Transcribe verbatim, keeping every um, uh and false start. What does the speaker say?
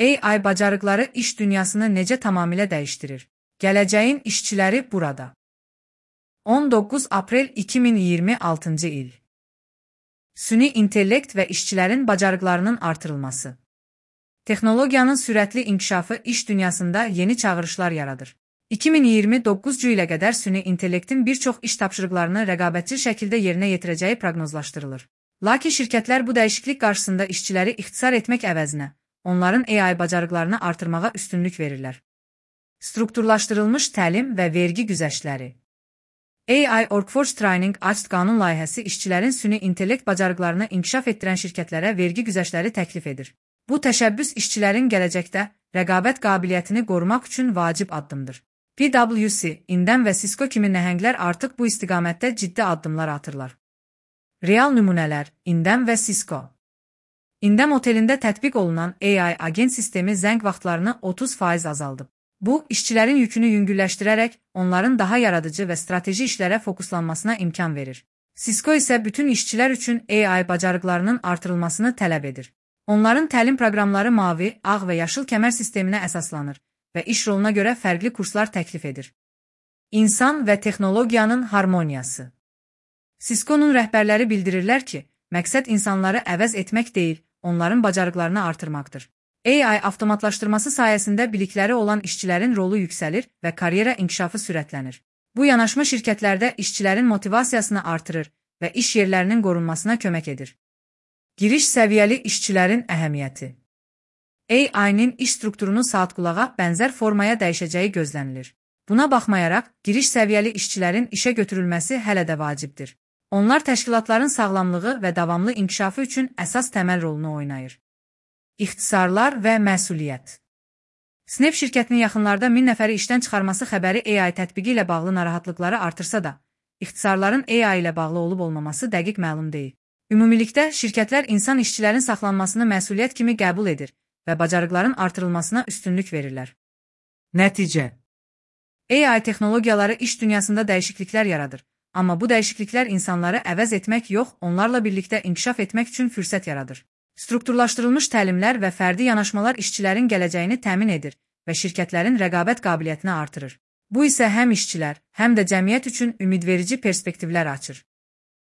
A I bacarıqları iş dünyasını necə tamamilə dəyişdirir? Gələcəyin işçiləri burada. on doqquz aprel iki min iyirmi altıncı il. Süni intellekt və işçilərin bacarıqlarının artırılması. Texnologiyanın sürətli inkişafı iş dünyasında yeni çağırışlar yaradır. iki min iyirmi doqquzuncu ilə qədər süni intellektin bir çox iş tapşırıqlarını rəqabətçi şəkildə yerinə yetirəcəyi proqnozlaşdırılır. Lakin şirkətlər bu dəyişiklik qarşısında işçiləri ixtisar etmək əvəzinə, onların A I bacarıqlarını artırmağa üstünlük verirlər. Strukturlaşdırılmış təlim və vergi güzəştləri. A I Workforce Training Act qanun layihəsi işçilərin süni intellekt bacarıqlarını inkişaf etdirən şirkətlərə vergi güzəştləri təklif edir. Bu təşəbbüs işçilərin gələcəkdə rəqabət qabiliyyətini qorumaq üçün vacib addımdır. P W C, İndəm və Cisco kimi nəhənglər artıq bu istiqamətdə ciddi addımlar atırlar. Real nümunələr, İndəm və Cisco. İndəm otelində tətbiq olunan A I agent sistemi zəng vaxtlarını otuz faiz azaldıb. Bu, işçilərin yükünü yüngülləşdirərək onların daha yaradıcı və strateji işlərə fokuslanmasına imkan verir. Cisco isə bütün işçilər üçün A I bacarıqlarının artırılmasını tələb edir. Onların təlim proqramları mavi, ağ və yaşıl kəmər sisteminə əsaslanır və iş roluna görə fərqli kurslar təklif edir. İnsan və texnologiyanın harmoniyası. Cisco'nun rəhbərləri bildirirlər ki, məqsəd insanları əvəz etmək deyil, onların bacarıqlarını artırmaqdır. A I avtomatlaşdırması sayəsində bilikləri olan işçilərin rolu yüksəlir və karyera inkişafı sürətlənir. Bu yanaşma şirkətlərdə işçilərin motivasiyasını artırır və iş yerlərinin qorunmasına kömək edir. Giriş səviyyəli işçilərin əhəmiyyəti. A I-nin iş strukturunu saatqulağa bənzər formaya dəyişəcəyi gözlənilir. Buna baxmayaraq, giriş səviyyəli işçilərin işə götürülməsi hələ də vacibdir. Onlar təşkilatların sağlamlığı və davamlı inkişafı üçün əsas təməl rolunu oynayır. İxtisarlar və məsuliyyət. Snap şirkətinin yaxınlarda min nəfəri işdən çıxarması xəbəri A I tətbiqi ilə bağlı narahatlıqları artırsa da, ixtisarların A I ilə bağlı olub-olmaması dəqiq məlum deyil. Ümumilikdə, şirkətlər insan işçilərin saxlanmasını məsuliyyət kimi qəbul edir və bacarıqların artırılmasına üstünlük verirlər. Nəticə. A I texnologiyaları iş dünyasında dəyişikliklər yaradır, amma bu dəyişikliklər insanları əvəz etmək yox, onlarla birlikdə inkişaf etmək üçün fürsət yaradır. Strukturlaşdırılmış təlimlər və fərdi yanaşmalar işçilərin gələcəyini təmin edir və şirkətlərin rəqabət qabiliyyətini artırır. Bu isə həm işçilər, həm də cəmiyyət üçün ümidverici perspektivlər açır.